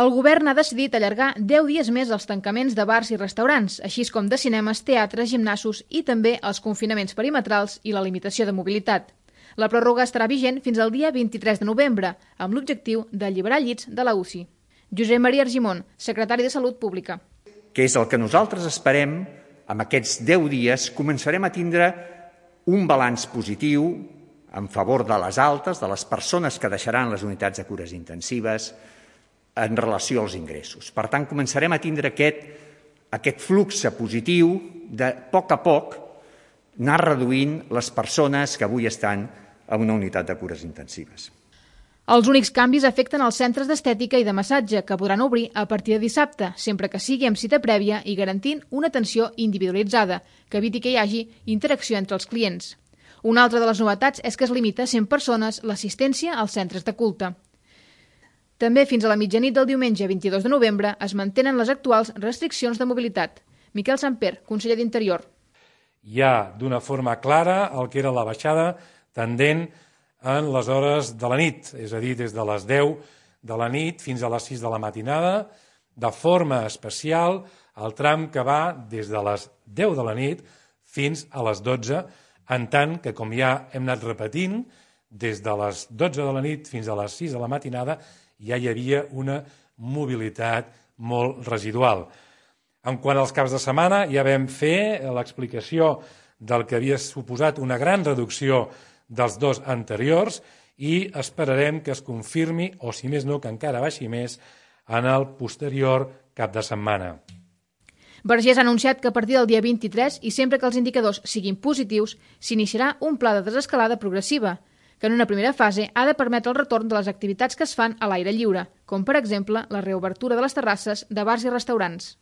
El govern ha decidit allargar 10 dies més els tancaments de bars i restaurants, així com de cinemes, teatres, gimnasos i també els confinaments perimetrals i la limitació de mobilitat. La pròrroga estarà vigent fins al dia 23 de novembre, amb l'objectiu d'alliberar llits de la UCI. Josep Maria Argimon, secretari de Salut Pública. Que és el que nosaltres esperem, amb aquests 10 dies començarem a tindre un balanç positiu en favor de les altes, de les persones que deixaran les unitats de cures intensives en relació als ingressos. Per tant, començarem a tindre aquest flux positiu de poc a poc anar reduint les persones que avui estan en una unitat de cures intensives. Els únics canvis afecten els centres d'estètica i de massatge, que podran obrir a partir de dissabte, sempre que sigui amb cita prèvia i garantint una atenció individualitzada, que eviti que hi hagi interacció entre els clients. Una altra de les novetats és que es limita a 100 persones l'assistència als centres de culte. També fins a la mitjanit del diumenge 22 de novembre es mantenen les actuals restriccions de mobilitat. Miquel Samper, conseller d'Interior. Hi ha d'una forma clara el que era la baixada tendent en les hores de la nit, és a dir, des de les 10 de la nit fins a les 6 de la matinada, de forma especial el tram que va des de les 10 de la nit fins a les 12, en tant que, com ja hem anat repetint, des de les 12 de la nit fins a les 6 de la matinada ja hi havia una mobilitat molt residual. En quant als caps de setmana, ja vam fer l'explicació del que havia suposat una gran reducció dels dos anteriors i esperarem que es confirmi, o si més no, que encara baixi més, en el posterior cap de setmana. Vergés ha anunciat que a partir del dia 23, i sempre que els indicadors siguin positius, s'iniciarà un pla de desescalada progressiva, que en una primera fase ha de permetre el retorn de les activitats que es fan a l'aire lliure, com per exemple la reobertura de les terrasses de bars i restaurants.